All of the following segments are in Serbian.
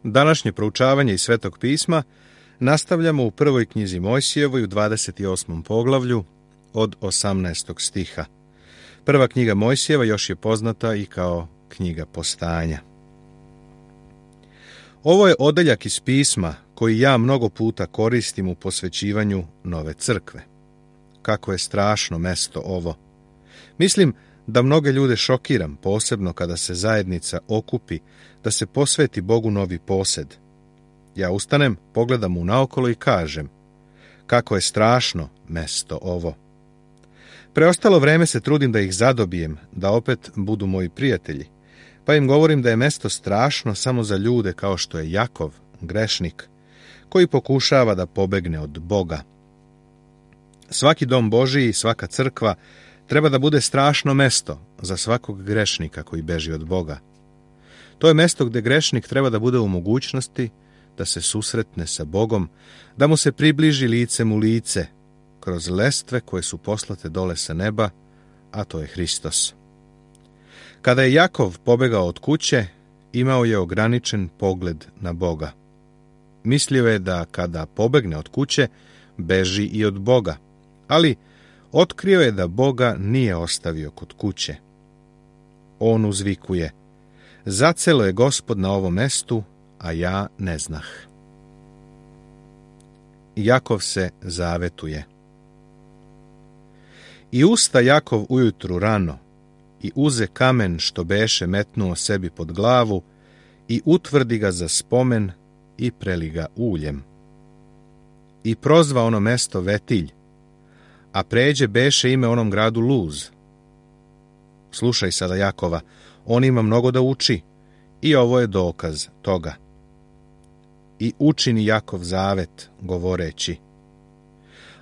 Današnje proučavanje iz Svetog pisma nastavljamo u prvoj knjizi Mojsijevoj u 28. poglavlju od 18. stiha. Prva knjiga Mojsijeva još je poznata i kao knjiga Postanja. Ovo je odeljak iz pisma koji ja mnogo puta koristim u posvećivanju nove crkve. Kako je strašno mesto ovo. Mislim da mnoge ljude šokiram, posebno kada se zajednica okupi da se posveti Bogu novi posed. Ja ustanem, pogledam mu naokolo i kažem, kako je strašno mesto ovo. Preostalo vreme se trudim da ih zadobijem, da opet budu moji prijatelji, pa im govorim da je mesto strašno samo za ljude kao što je Jakov, grešnik, koji pokušava da pobegne od Boga. Svaki dom Božiji i svaka crkva treba da bude strašno mesto za svakog grešnika koji beži od Boga. To je mesto gde grešnik treba da bude u mogućnosti da se susretne sa Bogom, da mu se približi licem u lice, kroz lestve koje su poslate dole sa neba, a to je Hristos. Kada je Jakov pobegao od kuće, imao je ograničen pogled na Boga. Mislio je da kada pobegne od kuće, beži i od Boga, ali otkrio je da Boga nije ostavio kod kuće. On uzvikuje, zacelo je Gospod na ovom mestu, a ja ne znah. Jakov se zavetuje. I usta Jakov ujutru rano, i uze kamen što beše metnuo sebi pod glavu, i utvrdi ga za spomen, i preli ga uljem. I prozva ono mesto Vetilj, a pređe beše ime onom gradu Luz. Slušaj sada Jakova, on ima mnogo da uči, i ovo je dokaz toga. I učini Jakov zavet, govoreći,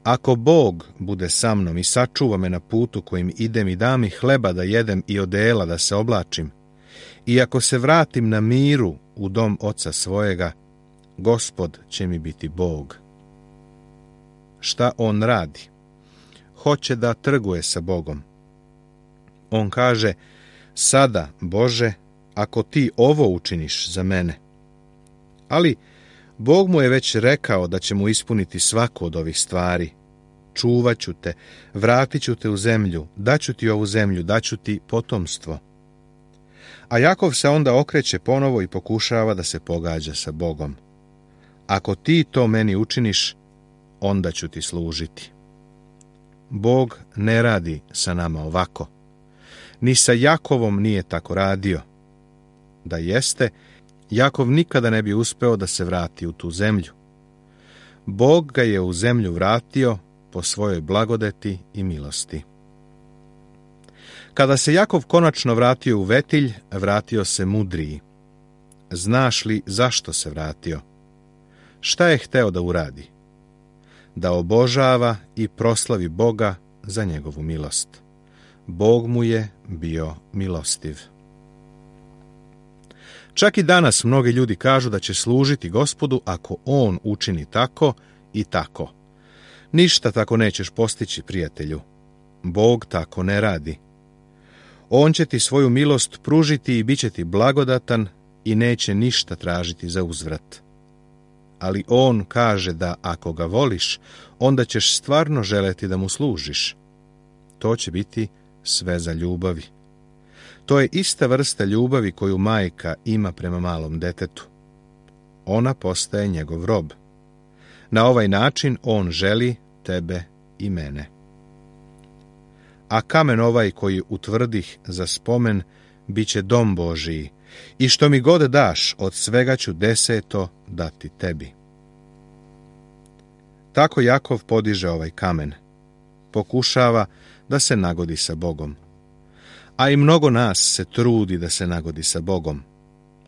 ako Bog bude sa mnom i sačuva me na putu kojim idem i da mi hleba da jedem i odela da se oblačim, i ako se vratim na miru u dom oca svojega, Gospod će mi biti Bog. Šta on radi? Hoće da trguje sa Bogom. On kaže, sada, Bože, ako ti ovo učiniš za mene. Ali Bog mu je već rekao da će mu ispuniti svaku od ovih stvari. Čuvat ću te, vratit ću te u zemlju, daću ti ovu zemlju, daću ti potomstvo. A Jakov se onda okreće ponovo i pokušava da se pogađa sa Bogom. Ako ti to meni učiniš, onda ću ti služiti. Bog ne radi sa nama ovako. Ni sa Jakovom nije tako radio. Da jeste, Jakov nikada ne bi uspeo da se vrati u tu zemlju. Bog ga je u zemlju vratio po svojoj blagodeti i milosti. Kada se Jakov konačno vratio u Vetilj, vratio se mudriji. Znaš li zašto se vratio? Šta je hteo da uradi? Da obožava i proslavi Boga za njegovu milost. Bog mu je bio milostiv. Čak i danas mnogi ljudi kažu da će služiti Gospodu ako on učini tako i tako. Ništa tako nećeš postići, prijatelju. Bog tako ne radi. On će ti svoju milost pružiti i bit će ti blagodatan i neće ništa tražiti za uzvrat. Ali on kaže da ako ga voliš, onda ćeš stvarno želeti da mu služiš. To će biti sve za ljubavi. To je ista vrsta ljubavi koju majka ima prema malom detetu. Ona postaje njegov rob. Na ovaj način on želi tebe i mene. A kamen ovaj koji utvrdih za spomen bit će dom Božiji, i što mi god daš, od svega ću 10 dati tebi. Tako Jakov podiže ovaj kamen. Pokušava da se nagodi sa Bogom. A i mnogo nas se trudi da se nagodi sa Bogom.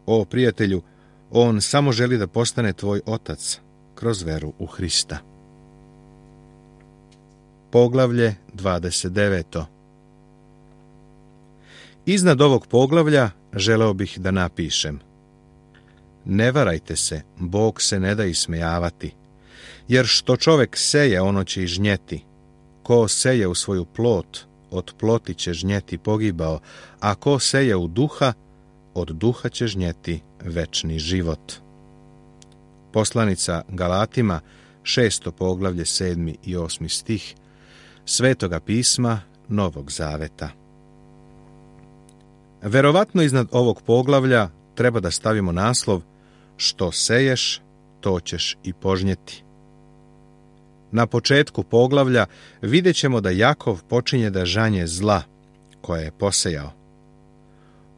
O, prijatelju, on samo želi da postane tvoj otac kroz veru u Hrista. Poglavlje 29. Iznad ovog poglavlja želeo bih da napišem: ne varajte se, Bog se ne da ismejavati, jer što čovek seje, ono će i žnjeti. Ko seje u svoju plot, od ploti će žnjeti pogibao, a ko seje u duha, od duha će žnjeti večni život. Poslanica Galatima, 6. poglavlje, 7. i 8. stih Svetoga pisma Novog Zaveta. Verovatno iznad ovog poglavlja treba da stavimo naslov Što seješ, to ćeš i požnjeti. Na početku poglavlja vidjet ćemo da Jakov počinje da žanje zla koje je posejao.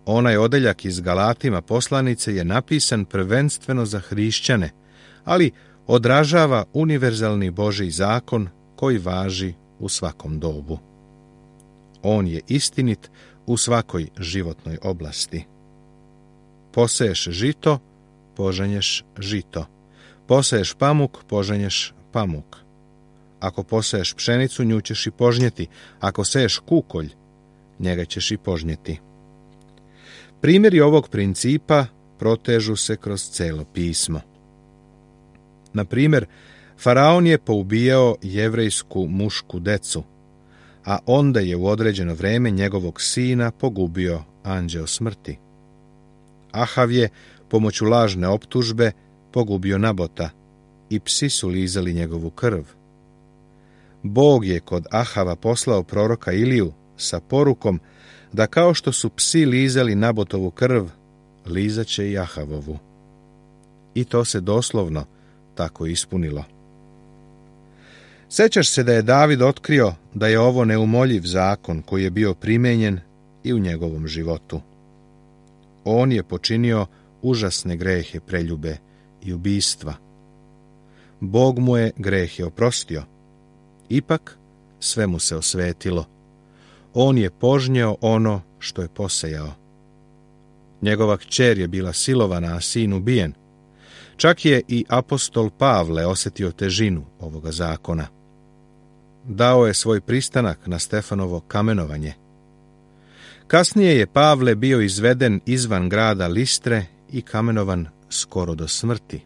Onaj odeljak iz Galatima poslanice je napisan prvenstveno za hrišćane, ali odražava univerzalni Božji zakon koji važi u svakom dobu. On je istinit u svakoj životnoj oblasti. Poseješ žito, požanješ žito. Poseješ pamuk, požanješ pamuk. Ako poseješ pšenicu, nju ćeš i požnjeti. Ako seješ kukolj, njega ćeš i požnjeti. Primjeri ovog principa protežu se kroz celo pismo. Na primjer, Faraon je poubijao jevrejsku mušku decu, a onda je u određeno vreme njegovog sina pogubio anđeo smrti. Ahav je pomoću lažne optužbe pogubio Nabota i psi su lizali njegovu krv. Bog je kod Ahava poslao proroka Iliju sa porukom da kao što su psi lizali Nabotovu krv, lizaće i Ahavovu. I to se doslovno tako ispunilo. Sećaš se da je David otkrio da je ovo neumoljiv zakon koji je bio primenjen i u njegovom životu. On je počinio užasne grehe preljube i ubistva. Bog mu je grehe oprostio. Ipak sve mu se osvetilo. On je požnjeo ono što je posejao. Njegova kćer je bila silovana, a sin ubijen. Čak je i apostol Pavle osjetio težinu ovoga zakona. Dao je svoj pristanak na Stefanovo kamenovanje. Kasnije je Pavle bio izveden izvan grada Listre i kamenovan skoro do smrti.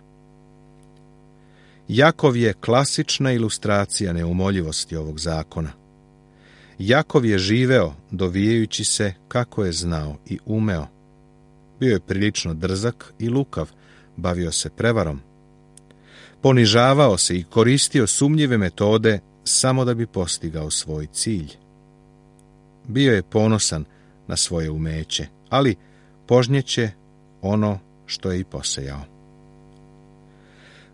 Jakov je klasična ilustracija neumoljivosti ovog zakona. Jakov je živeo dovijajući se kako je znao i umeo. Bio je prilično drzak i lukav, bavio se prevarom. Ponižavao se i koristio sumnjive metode samo da bi postigao svoj cilj. Bio je ponosan na svoje umeće, ali požnjeće ono što je i posejao.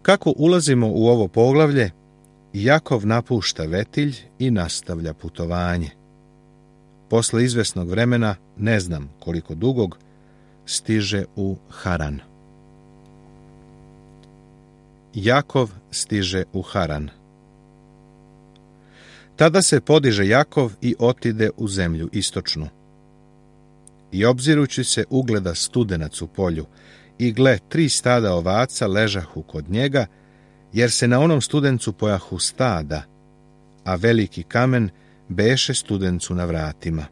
Kako ulazimo u ovo poglavlje, Jakov napušta Vetilj i nastavlja putovanje. Posle izvesnog vremena, ne znam koliko dugog, stiže u Haran. Jakov stiže u Haran. Tada se podiže Jakov i otide u zemlju istočnu. I obzirući se ugleda studenac u polju, i gle, 3 stada ovaca ležahu kod njega, jer se na onom studencu pojahu stada, a veliki kamen beše studencu na vratima.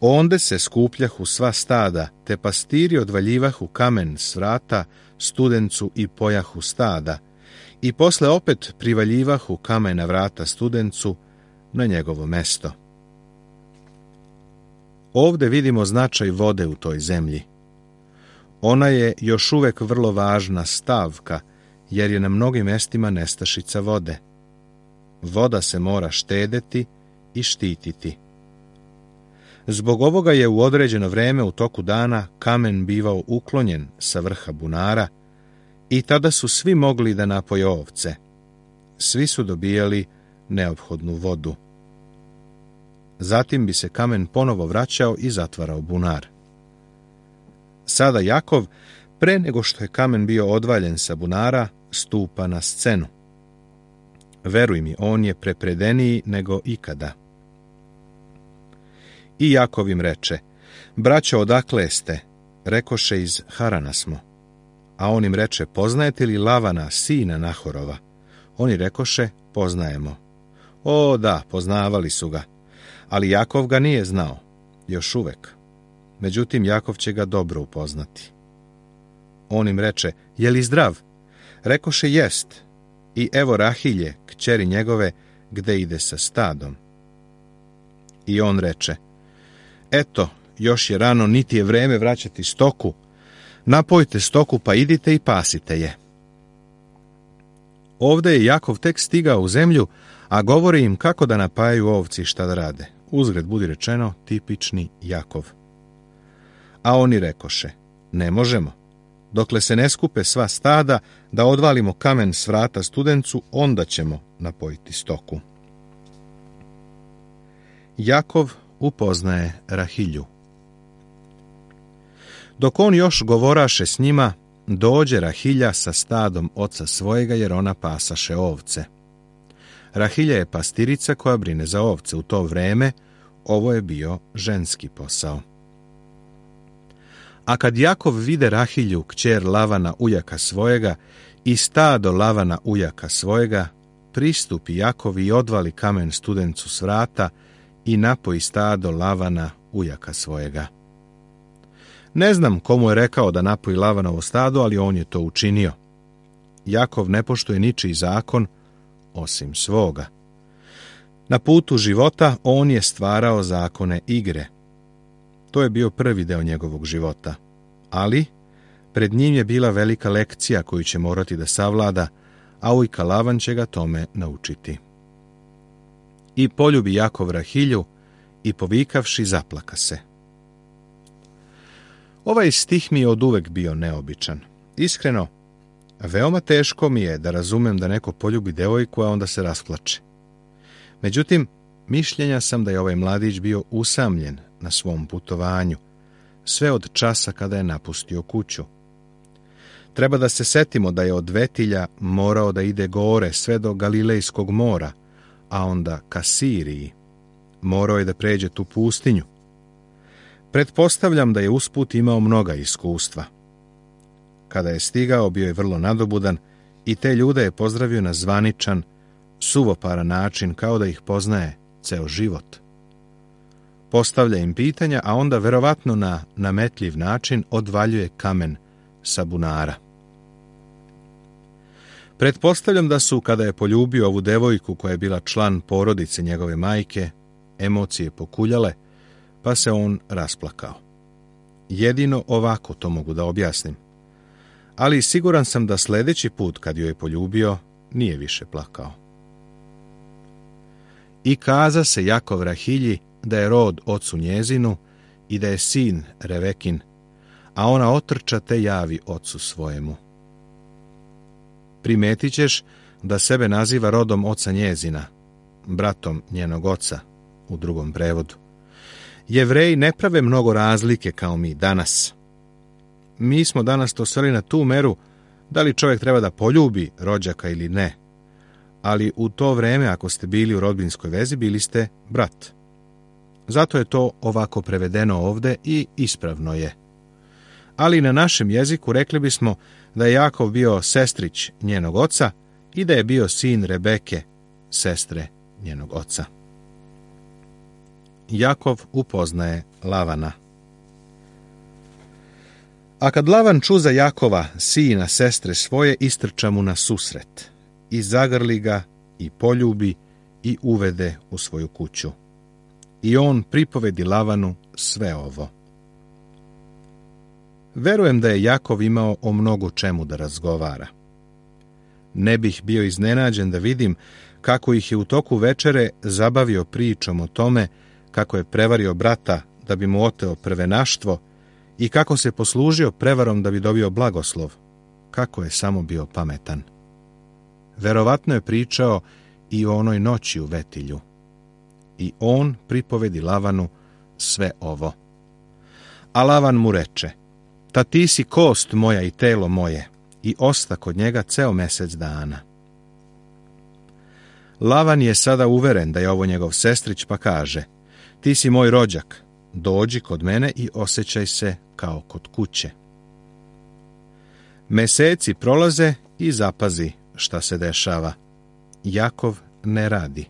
Onde se skupljahu sva stada, te pastiri odvaljivahu kamen s vrata studencu i pojahu stada, i posle opet privaljivahu kamen na vrata studencu na njegovo mesto. Ovde vidimo značaj vode u toj zemlji. Ona je još uvek vrlo važna stavka, jer je na mnogim mestima nestašica vode. Voda se mora štedeti i štititi. Zbog ovoga je u određeno vreme u toku dana kamen bivao uklonjen sa vrha bunara i tada su svi mogli da napoje ovce. Svi su dobijali neophodnu vodu. Zatim bi se kamen ponovo vraćao i zatvarao bunar. Sada Jakov, pre nego što je kamen bio odvaljen sa bunara, stupa na scenu. Veruj mi, on je prepredeniji nego ikada. I Jakov im reče, braćo, odakle ste? Rekoše, iz Harana smo. A on im reče, poznajete li Lavana, sina Nahorova? Oni rekoše, poznajemo. O da, poznavali su ga. Ali Jakov ga nije znao, još uvek. Međutim, Jakov će ga dobro upoznati. On im reče, je li zdrav? Rekoše, jest. I evo Rahilje, kćeri njegove, gde ide sa stadom. I on reče, eto, još je rano, niti je vreme vraćati stoku. napojte stoku pa idite i pasite je. Ovdje je Jakov tek stigao u zemlju, a govori im kako da napajaju ovci i šta da rade. Uzgred budi rečeno, tipični Jakov. A oni rekoše, ne možemo. Dokle se ne skupe sva stada, da odvalimo kamen s vrata studencu, onda ćemo napojiti stoku. Jakov upoznaje Rahilju. Dok on još govoraše s njima, dođe Rahilja sa stadom oca svojega, jer ona pasaše ovce. Rahilja je pastirica koja brine za ovce. U to vreme ovo je bio ženski posao. A kad Jakov vide Rahilju, kćer Lavana ujaka svojega, i stado Lavana ujaka svojega, pristupi Jakov i odvali kamen studencu s vrata i napoji stado Lavana ujaka svojega. Ne znam komu je rekao da napoji Lavanovo stado, ali on je to učinio. Jakov ne poštuje ničiji zakon, osim svoga. Na putu života on je stvarao zakone igre. To je bio prvi deo njegovog života. Ali pred njim je bila velika lekcija koju će morati da savlada, a ujka Lavan će ga tome naučiti. I poljubi Jakov Rahilju i povikavši zaplaka se. Ovaj stih mi je oduvek bio neobičan. Iskreno, veoma teško mi je da razumem da neko poljubi devojku, a onda se rasplače. Međutim, mišljenja sam da je ovaj mladić bio usamljen na svom putovanju, sve od časa kada je napustio kuću. Treba da se setimo da je od Vetilja morao da ide gore sve do Galilejskog mora, a onda ka Siriji. Morao je da pređe tu pustinju. Pretpostavljam da je usput imao mnoga iskustva. Kada je stigao, bio je vrlo nadobudan i te ljude je pozdravio na zvaničan, suvoparan način, kao da ih poznaje ceo život. Postavlja im pitanja, a onda verovatno na nametljiv način odvaljuje kamen sa bunara. Pretpostavljam da su, kada je poljubio ovu devojku koja je bila član porodice njegove majke, emocije pokuljale, pa se on rasplakao. Jedino ovako to mogu da objasnim. Ali siguran sam da sljedeći put kad joj je poljubio, nije više plakao. I kaza se Jakov Rahilji da je rod ocu njezinu i da je sin Revekin, a ona otrča te javi ocu svojemu. Primetit ćeš da sebe naziva rodom oca njezina, bratom njenog oca, u drugom prevodu. Jevreji ne prave mnogo razlike kao mi danas. Mi smo danas to sveli na tu meru da li čovjek treba da poljubi rođaka ili ne. Ali u to vreme, ako ste bili u rodbinskoj vezi, bili ste brat. Zato je to ovako prevedeno ovde i ispravno je. Ali na našem jeziku rekli bismo da je Jakov bio sestrić njenog oca i da je bio sin Rebeke, sestre njenog oca. Jakov upoznaje Lavana. A kad Lavan ču za Jakova, sina sestre svoje, istrča mu na susret i zagrli ga i poljubi i uvede u svoju kuću. I on pripovedi Lavanu sve ovo. Verujem da je Jakov imao o mnogo čemu da razgovara. Ne bih bio iznenađen da vidim kako ih je u toku večere zabavio pričom o tome kako je prevario brata da bi mu oteo prvenaštvo i kako se poslužio prevarom da bi dobio blagoslov, kako je samo bio pametan. Verovatno je pričao i o onoj noći u Vetilju. I on pripovedi Lavanu sve ovo. A Lavan mu reče, ta ti si kost moja i telo moje, i osta kod njega ceo mesec dana. Lavan je sada uveren da je ovo njegov sestrić, pa kaže, ti si moj rođak, dođi kod mene i osjećaj se kao kod kuće. Meseci prolaze i zapazi šta se dešava. Jakov ne radi.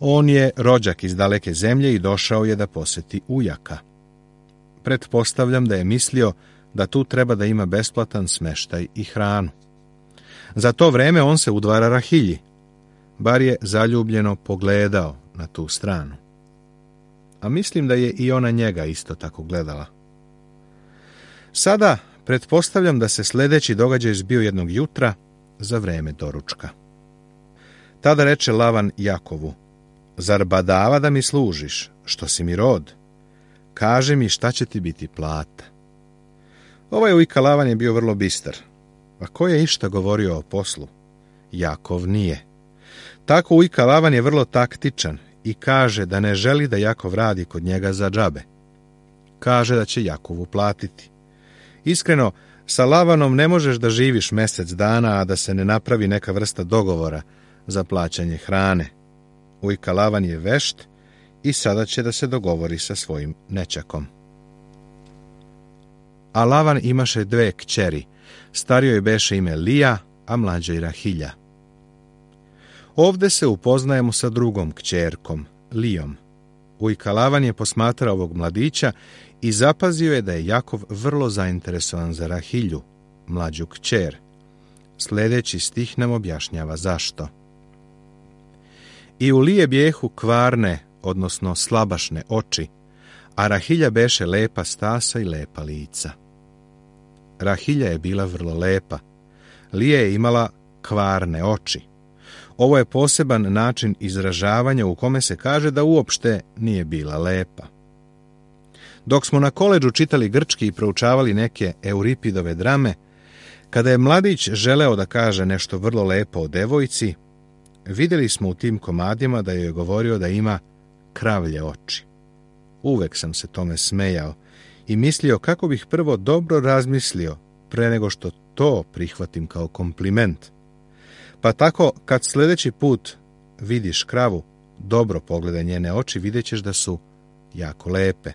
On je rođak iz daleke zemlje i došao je da poseti ujaka. Pretpostavljam da je mislio da tu treba da ima besplatan smeštaj i hranu. Za to vreme on se udvara Rahilji, bar je zaljubljeno pogledao na tu stranu. A mislim da je i ona njega isto tako gledala. Sada Pretpostavljam da se sljedeći događaj zbio jednog jutra za vreme doručka. Tada reče Lavan Jakovu: zar badava da mi služiš, što si mi rod? Kaži mi šta će ti biti plata. Ovaj ujka Lavan je bio vrlo bistar. A ko je išta govorio o poslu? Jakov nije. Tako ujka Lavan je vrlo taktičan i kaže da ne želi da Jakov radi kod njega za džabe. Kaže da će Jakovu platiti. Iskreno, sa Lavanom ne možeš da živiš mjesec dana, a da se ne napravi neka vrsta dogovora za plaćanje hrane. Ujka Lavan je vešt i sada će da se dogovori sa svojim nećakom. A Lavan imaše 2 kćeri, starijoj beše ime Lija, a mlađoj Rahilja. Ovde se upoznajemo sa drugom kćerkom, Lijom. Ujka Lavan je posmatrao ovog mladića i zapazio je da je Jakov vrlo zainteresovan za Rahilju, mlađu kćer. Sljedeći stih nam objašnjava zašto. I u Lije bijehu kvarne, odnosno slabašne oči, a Rahilja beše lepa stasa i lepa lica. Rahilja je bila vrlo lepa. Lija je imala kvarne oči. Ovo je poseban način izražavanja u kome se kaže da uopšte nije bila lepa. Dok smo na koledžu čitali grčki i proučavali neke Euripidove drame, kada je mladić želeo da kaže nešto vrlo lepo o devojci, vidjeli smo u tim komadima da joj je govorio da ima kravlje oči. Uvek sam se tome smejao i mislio kako bih prvo dobro razmislio pre nego što to prihvatim kao kompliment. Pa tako, kad sljedeći put vidiš kravu, dobro pogledaj njene oči, vidjet ćeš da su jako lepe.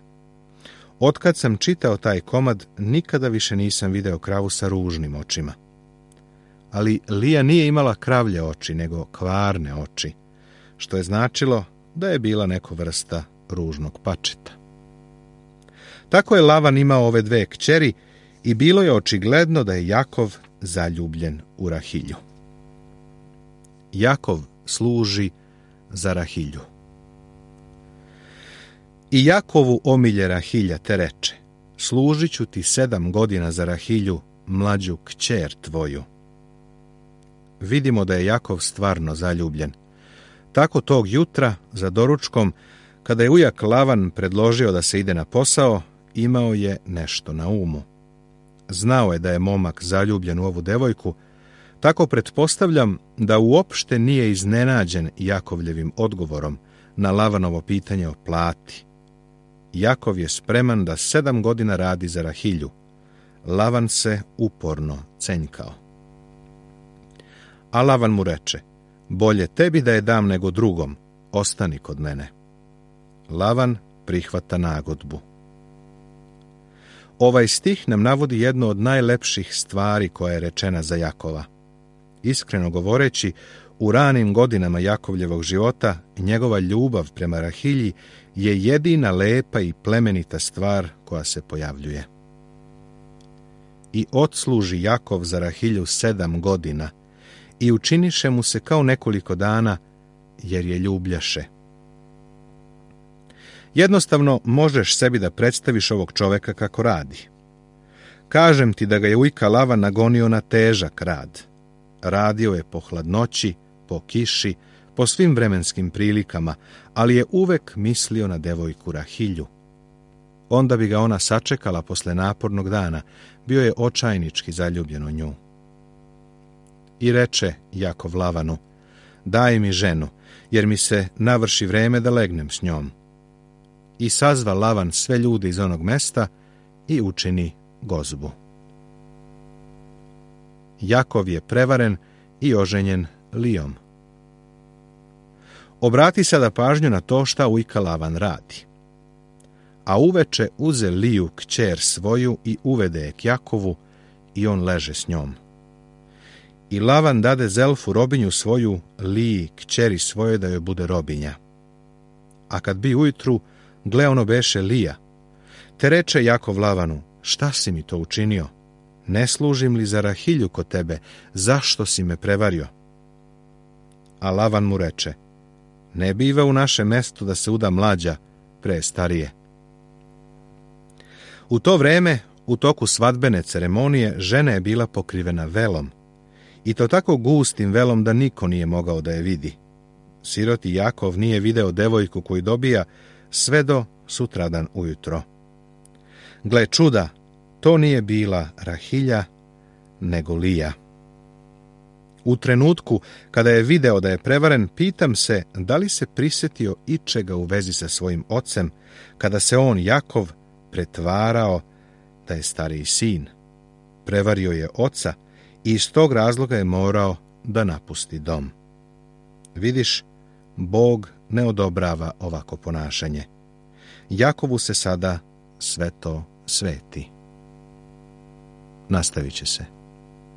Otkad sam čitao taj komad, nikada više nisam video kravu sa ružnim očima. Ali Lija nije imala kravlje oči, nego kvarne oči, što je značilo da je bila neko vrsta ružnog pačeta. Tako je Lavan imao ove 2 kćeri i bilo je očigledno da je Jakov zaljubljen u Rahilju. Jakov služi za Rahilju. I Jakovu omilje Rahilja te reče: služit ću ti 7 godina za Rahilju, mlađu kćer tvoju. Vidimo da je Jakov stvarno zaljubljen. Tako tog jutra, za doručkom, kada je ujak Lavan predložio da se ide na posao, imao je nešto na umu. Znao je da je momak zaljubljen u ovu devojku, tako pretpostavljam da uopšte nije iznenađen Jakovljevim odgovorom na Lavanovo pitanje o plati. Jakov je spreman da 7 godina radi za Rahilju. Lavan se uporno cenjkao. A Lavan mu reče: bolje tebi da je dam nego drugom, ostani kod mene. Lavan prihvata nagodbu. Ovaj stih nam navodi jednu od najlepših stvari koja je rečena za Jakova. Iskreno govoreći, u ranim godinama Jakovljevog života njegova ljubav prema Rahilji je jedina lepa i plemenita stvar koja se pojavljuje. I odsluži Jakov za Rahilju 7 godina i učiniše mu se kao nekoliko dana, jer je ljubljaše. Jednostavno možeš sebi da predstaviš ovog čoveka kako radi. Kažem ti da ga je ujka Lavan nagonio na težak rad. Radio je po hladnoći, po kiši, po svim vremenskim prilikama, ali je uvek mislio na devojku Rahilju. Onda bi ga ona sačekala posle napornog dana, bio je očajnički zaljubljen u nju. I reče Jakov Lavanu: daj mi ženu, jer mi se navrši vreme da legnem s njom. I sazva Lavan sve ljude iz onog mesta i učini gozbu. Jakov je prevaren i oženjen Lijom. Obrati sada pažnju na to šta ujka Lavan radi. A uveče uze Liju kćer svoju i uvede je k Jakovu i on leže s njom. I Lavan dade Zelfu robinju svoju Liji kćeri svoje da joj bude robinja. A kad bi ujutru, gle ono beše Lija. Te reče Jakov Lavanu: šta si mi to učinio? Ne služim li za Rahilju kod tebe? Zašto si me prevario? A Lavan mu reče: ne biva u našem mestu da se uda mlađa pre starije. U to vreme U toku svadbene ceremonije žena je bila pokrivena velom, i to tako gustim velom da niko nije mogao da je vidi. Siroti Jakov nije video devojku koju dobija sve do sutradan ujutro. Gle čuda, to nije bila Rahilja, nego Lija. U trenutku kada je video da je prevaren, pitam se da li se prisjetio ičega u vezi sa svojim ocem, kada se on, Jakov, pretvarao da je stariji sin. Prevario je oca i iz tog razloga je morao da napusti dom. Vidiš, Bog ne odobrava ovako ponašanje. Jakovu se sada sve to sveti. Nastavit će se.